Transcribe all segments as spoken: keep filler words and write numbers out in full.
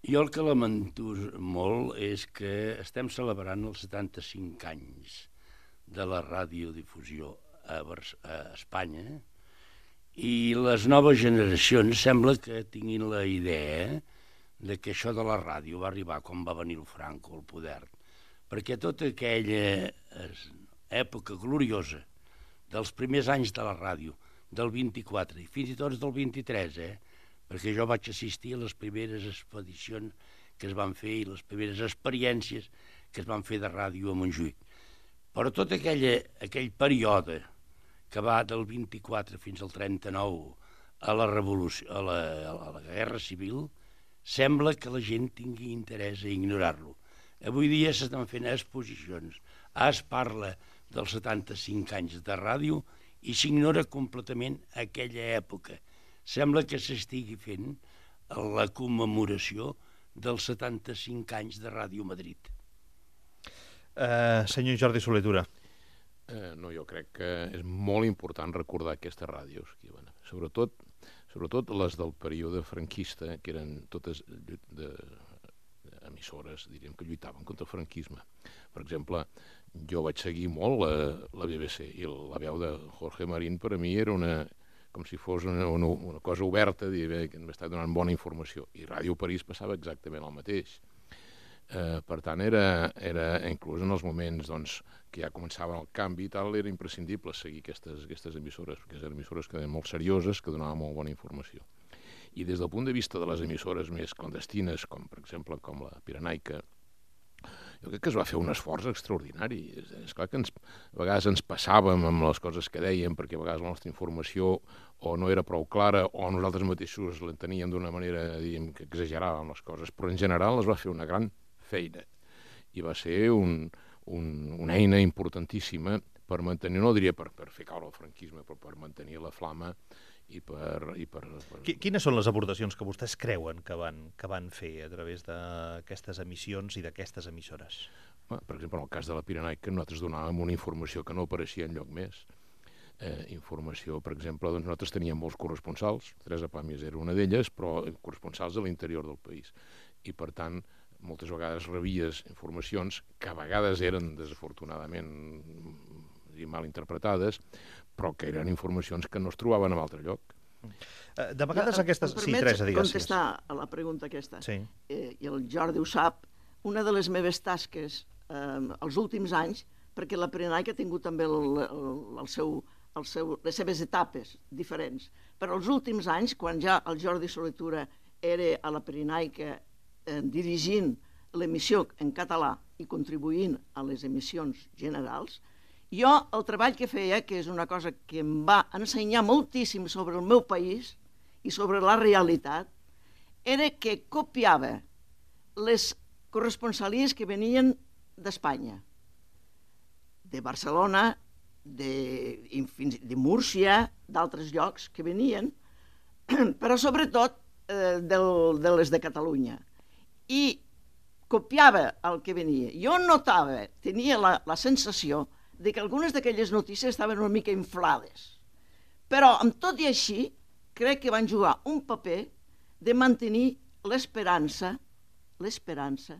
Jo el que lamento molt és que estem celebrant els setanta-cinc anys de la radiodifusió a, a Espanya i les noves generacions sembla que tinguin la idea de que això de la ràdio va arribar quan va venir el Franco al poder, perquè tota aquella època gloriosa dels primers anys de la ràdio, del vint-i-quatre i fins i tot del vint-i-tres, eh? perquè jo vaig assistir a les primeres expedicions que es van fer i les primeres experiències que es van fer de ràdio a Montjuïc. Però tot aquella, aquell període que va del vint-i-quatre fins al trenta-nou a la revolució, a la, a la guerra civil, sembla que la gent tingui interès a ignorar-lo. Avui dia s'estan fent exposicions, es parla dels setanta-cinc anys de ràdio i s'ignora completament aquella època. Sembla que s'estigui fent la commemoració dels setanta-cinc anys de Ràdio Madrid. Uh, senyor Jordi Soler-Tura. Uh, no, jo crec que és molt important recordar aquestes ràdios, que, bueno, sobretot, sobretot les del període franquista, que eren totes de, de emissores, diríem, que lluitaven contra el franquisme. Per exemple, jo vaig seguir molt la, la B B C i la veu de Jorge Marín per a mi era una, com si fos una, una, una cosa oberta, dir, que m'estava donant bona informació. I Ràdio París passava exactament el mateix. Eh, per tant, era, era inclús en els moments doncs, que ja començaven el canvi i tal, era imprescindible seguir aquestes, aquestes emissores, perquè eren emissores que eren molt serioses, que donaven molt bona informació. I des del punt de vista de les emissores més clandestines, com per exemple com la Pirenaica, jo crec que es va fer un esforç extraordinari. És, és clar que ens, a vegades ens passàvem amb les coses que dèiem, perquè a vegades la nostra informació o no era prou clara o nosaltres mateixos l'enteníem d'una manera, diguem, que exageràvem les coses, però en general es va fer una gran feina i va ser un, un, una eina importantíssima per mantenir, no diria per, per fer caure el franquisme, però per mantenir la flama i per... I per, per... Quines són les aportacions que vostès creuen que van, que van fer a través d'aquestes emissions i d'aquestes emissores? Per exemple, en el cas de la Pirenaica, nosaltres donàvem una informació que no apareixia enlloc més. Eh, informació, per exemple, doncs nosaltres teníem molts corresponsals, Teresa Pàmies era una d'elles, però corresponsals de l'interior del país. I, per tant, moltes vegades rebies informacions que a vegades eren, desafortunadament, mal interpretades, però que eren informacions que no es trobaven en altre lloc. De vegades aquestes... Em Sí, Teresa, digues. contestar a la pregunta aquesta? Sí. Eh, I el Jordi ho sap, una de les meves tasques eh, els últims anys, perquè la Pirenaica ha tingut també el, el, el seu, el seu, les seves etapes diferents, però els últims anys, quan ja el Jordi Soler-Tura era a la Pirenaica eh, dirigint l'emissió en català i contribuint a les emissions generals, jo el treball que feia, que és una cosa que em va ensenyar moltíssim sobre el meu país i sobre la realitat, era que copiava les corresponsalies que venien d'Espanya, de Barcelona, de, de Múrcia, d'altres llocs que venien, però sobretot eh, del, de les de Catalunya. I copiava el que venia. Jo notava, tenia la, la sensació de que algunes d'aquelles notícies estaven una mica inflades. Però, amb tot i així, crec que van jugar un paper de mantenir l'esperança, l'esperança,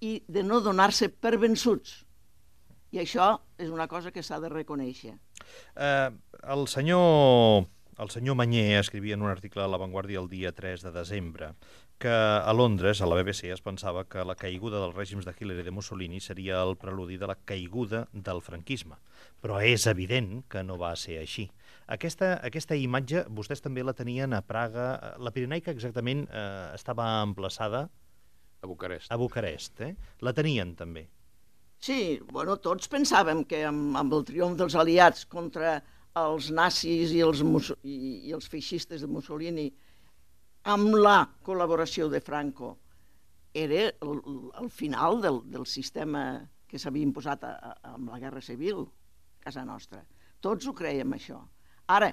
i de no donar-se per vençuts. I això és una cosa que s'ha de reconèixer. Eh, el senyor... El senyor Mañé escrivia en un article a La Vanguardia el dia tres de desembre que a Londres, a la B B C, es pensava que la caiguda dels règims de Hitler i de Mussolini seria el preludi de la caiguda del franquisme. Però és evident que no va ser així. Aquesta, aquesta imatge vostès també la tenien a Praga. La Pirenaica exactament eh, estava emplaçada A Bucarest. A Bucarest, eh? La tenien també. Sí, bueno, tots pensàvem que amb, amb el triomf dels aliats contra els nazis i els, i, i els feixistes de Mussolini, amb la col·laboració de Franco, era el, el final del, del sistema que s'havia imposat a, a, amb la Guerra Civil a casa nostra. Tots ho creiem, això. Ara,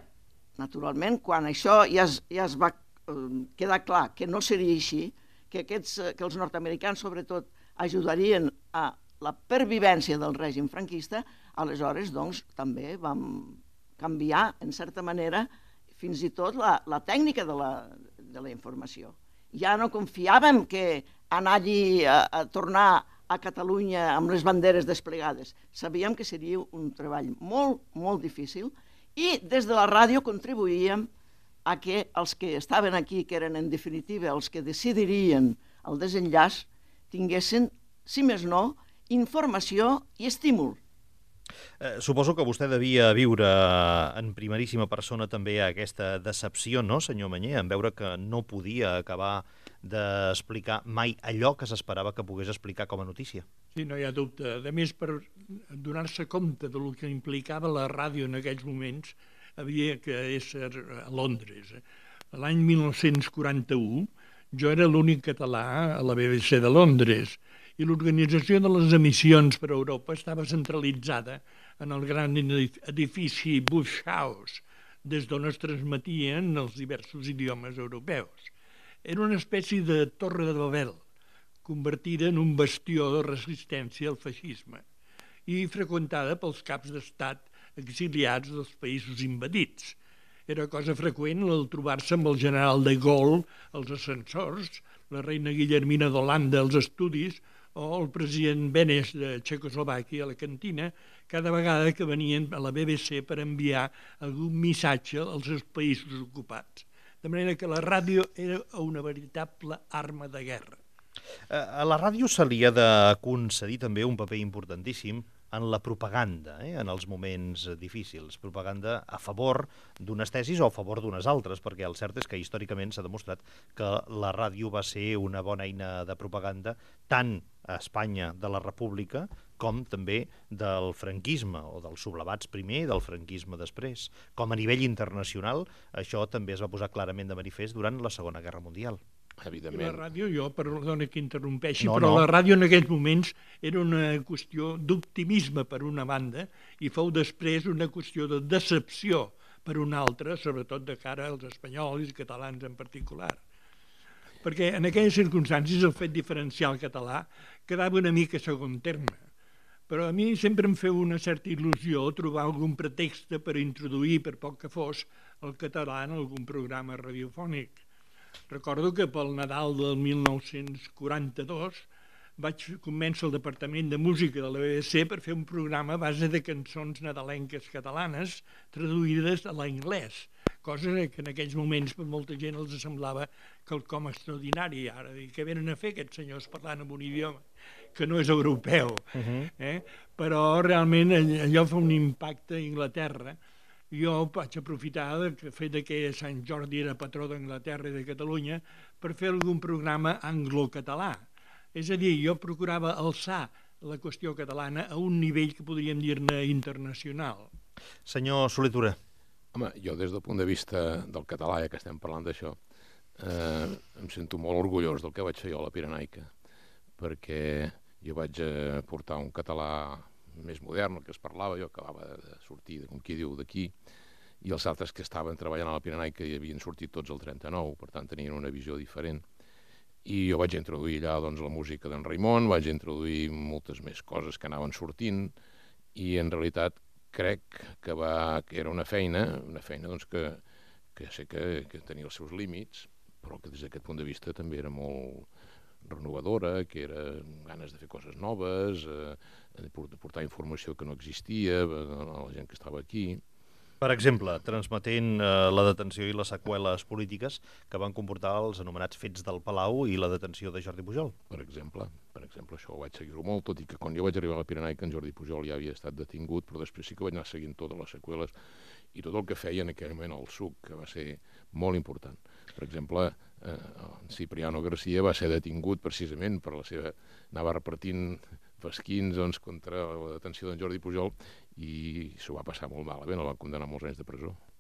naturalment, quan això ja es, ja es va eh, quedar clar que no seria així, que, aquests, que els nord-americans, sobretot, ajudarien a la pervivència del règim franquista, aleshores, doncs, també vam canviar, en certa manera, fins i tot la, la tècnica de la, de la informació. ja no confiàvem que anar allí a, a tornar a Catalunya amb les banderes desplegades. Sabíem que seria un treball molt, molt difícil i des de la ràdio contribuïem a que els que estaven aquí, que eren en definitiva els que decidirien el desenllaç, tinguessin, si més no, informació i estímul. Eh, suposo que vostè devia viure en primeríssima persona també aquesta decepció, no, senyor Mañé, en veure que no podia acabar d'explicar mai allò que s'esperava que pogués explicar com a notícia. Sí, no hi ha dubte. A més, per donar-se compte del que implicava la ràdio en aquells moments, havia que ésser a Londres. L'any mil nou-cents quaranta-u jo era l'únic català a la B B C de Londres i l'organització de les emissions per a Europa estava centralitzada en el gran edifici Bush House, des d'on es transmetien els diversos idiomes europeus. Era una espècie de torre de Babel, convertida en un bastió de resistència al feixisme i freqüentada pels caps d'estat exiliats dels països invadits. Era cosa freqüent el trobar-se amb el general de Gaulle als ascensors, la reina Guillermina d'Holanda als estudis o el president Beneš de Txecoslovàquia a la cantina, cada vegada que venien a la B B C per enviar algun missatge als seus països ocupats. De manera que la ràdio era una veritable arma de guerra. A la ràdio se li ha de concedir també un paper importantíssim en la propaganda, eh, en els moments difícils. Propaganda a favor d'unes tesis o a favor d'unes altres, perquè el cert és que històricament s'ha demostrat que la ràdio va ser una bona eina de propaganda tant a Espanya de la República com també del franquisme, o dels sublevats primer i del franquisme després. Com a nivell internacional, això també es va posar clarament de manifest durant la Segona Guerra Mundial. Evidentment. I la ràdio, jo, perdona que interrompeixi, no, però no. la ràdio en aquells moments era una qüestió d'optimisme per una banda i fou després una qüestió de decepció per una altra, sobretot de cara als espanyols i catalans en particular. Perquè en aquelles circumstàncies el fet diferencial català quedava una mica a segon terme. Però a mi sempre em feu una certa il·lusió trobar algun pretext per introduir, per poc que fos, el català en algun programa radiofònic. Recordo que pel Nadal del mil nou-cents quaranta-dos vaig convèncer el Departament de Música de la B B C per fer un programa a base de cançons nadalenques catalanes traduïdes a l'anglès, cosa que en aquells moments per molta gent els semblava quelcom extraordinari. Ara, què venen a fer aquests senyors parlant en un idioma que no és europeu? Uh-huh. eh? Però realment allò fa un impacte a Anglaterra. Jo vaig aprofitar del fet que Sant Jordi era patró d'Anglaterra i de Catalunya per fer algun programa anglo-català. És a dir, jo procurava alçar la qüestió catalana a un nivell que podríem dir-ne internacional. Senyor Soler-Tura. Home, jo des del punt de vista del català, ja que estem parlant d'això, eh, em sento molt orgullós del que vaig fer jo a la Pirenaica, perquè jo vaig portar un català més modern, el que es parlava, jo acabava de sortir, com qui diu, d'aquí, i els altres que estaven treballant a la Pirenaica hi havien sortit tots el trenta-nou, per tant tenien una visió diferent. I jo vaig introduir allà doncs, la música d'en Raimon, vaig introduir moltes més coses que anaven sortint, i en realitat crec que, va, que era una feina, una feina doncs, que, que sé que, que tenia els seus límits, però que des d'aquest punt de vista també era molt renovadora, que era ganes de fer coses noves, eh, de portar informació que no existia a la gent que estava aquí. Per exemple, transmetent eh, la detenció i les seqüeles polítiques que van comportar els anomenats fets del Palau i la detenció de Jordi Pujol. Per exemple, per exemple, això ho vaig seguir-ho molt, tot i que quan jo vaig arribar a la Pirenaica en Jordi Pujol ja havia estat detingut, però després sí que vaig anar seguint totes les seqüeles i tot el que feia en aquell moment el S U C, que va ser molt important. Per exemple, eh, Cipriano García va ser detingut precisament per la seva... anava repartint fesquins doncs, contra la detenció d'en Jordi Pujol i s'ho va passar molt malament, el van condenar molts anys de presó.